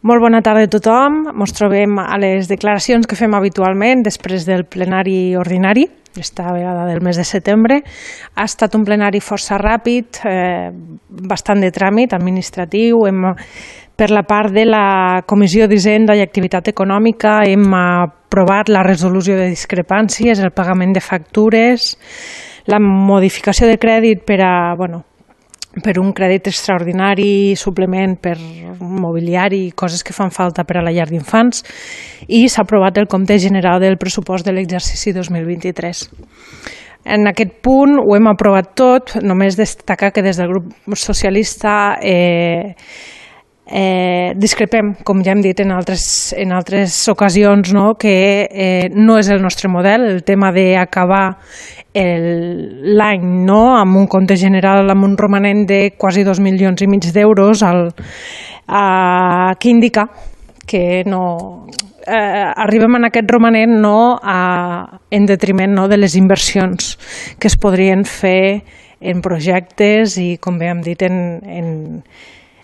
Molt bona tarda a tothom. Ens trobem a les declaracions que fem habitualment després del plenari ordinari, esta vegada del mes de setembre. Ha estat un plenari força ràpid, bastant de tràmit administratiu. Per la part de la Comissió d'Hisenda i Activitat Econòmica hem aprovat la resolució de discrepàncies, el pagament de factures, la modificació de crèdit per un crèdit extraordinari, suplement per mobiliari i coses que fan falta per a la llar d'infants, i s'ha aprovat el compte general del pressupost de l'exercici 2023. En aquest punt ho hem aprovat tot, només destacar que des del grup socialista discrepem, com ja hem dit en altres ocasions, que no és el nostre model, el tema d'acabar l'any amb un compte general amb un romanent de quasi 2,5 milions d'euros, que indica que arribem en aquest romanent en detriment de les inversions que es podrien fer en projectes i, com bé hem dit,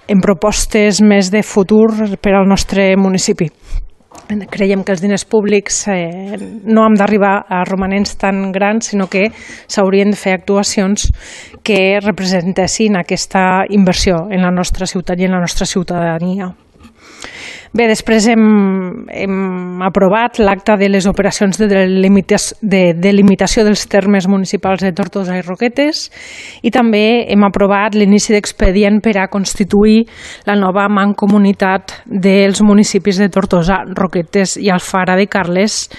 en propostes més de futur per al nostre municipi. Creiem que els diners públics no hem d'arribar a romanents tan grans, sinó que s'haurien de fer actuacions que representessin aquesta inversió en la nostra ciutat i en la nostra ciutadania. Bé, després hem aprovat l'acta de les operacions de delimitació dels termes municipals de Tortosa i Roquetes, i també hem aprovat l'inici d'expedient per a constituir la nova mancomunitat dels municipis de Tortosa, Roquetes i Alfara de Carles,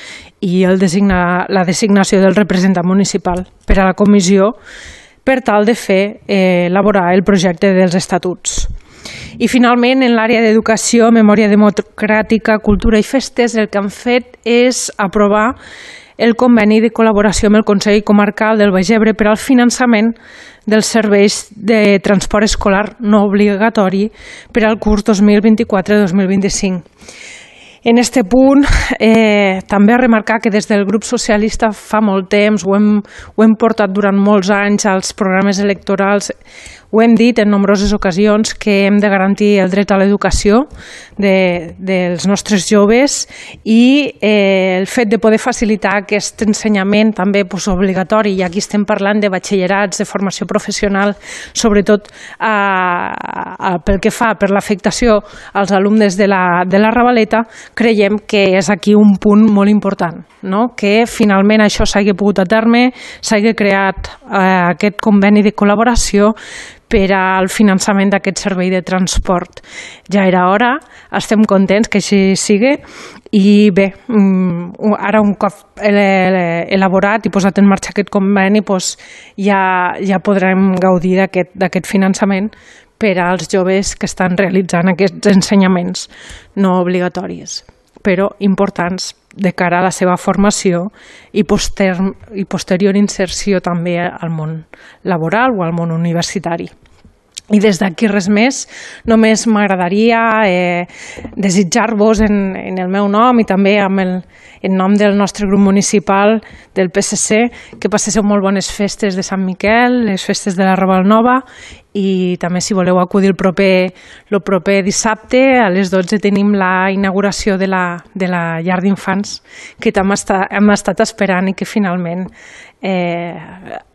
i la designació del representant municipal per a la comissió per tal de elaborar el projecte dels estatuts. I finalment, en l'àrea d'educació, memòria democràtica, cultura i festes, el que han fet és aprovar el conveni de col·laboració amb el Consell Comarcal del Baix Ebre per al finançament dels serveis de transport escolar no obligatori per al curs 2024-2025. En aquest punt, també remarcar que des del grup socialista fa molt temps, ho hem portat durant molts anys als programes electorals, ho hem dit en nombroses ocasions, que hem de garantir el dret a l'educació dels nostres joves, i el fet de poder facilitar aquest ensenyament també obligatori, i aquí estem parlant de batxillerats, de formació professional, sobretot pel que fa per l'afectació als alumnes de la Ravaleta, creiem que és aquí un punt molt important, que finalment això s'hagi pogut a terme, s'hagi creat aquest conveni de col·laboració per al finançament d'aquest servei de transport. Ja era hora, estem contents que així sigui, i bé, ara un cop elaborat i posat en marxa aquest conveni, ja podrem gaudir d'aquest finançament per als joves que estan realitzant aquests ensenyaments no obligatoris, però importants de cara a la seva formació i posterior inserció també al món laboral o al món universitari. I des d'aquí res més, només m'agradaria desitjar-vos en el meu nom i també en nom del nostre grup municipal del PSC que passeu molt bones festes de Sant Miquel, les festes de la Raval Nova, i també si voleu acudir el proper dissabte a les 12 tenim la inauguració de la llar d'infants que també hem estat esperant i que finalment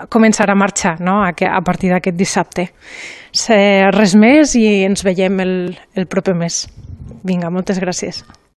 començarà a marxar a partir d'aquest dissabte. Res més i ens veiem el proper mes. Vinga, moltes gràcies.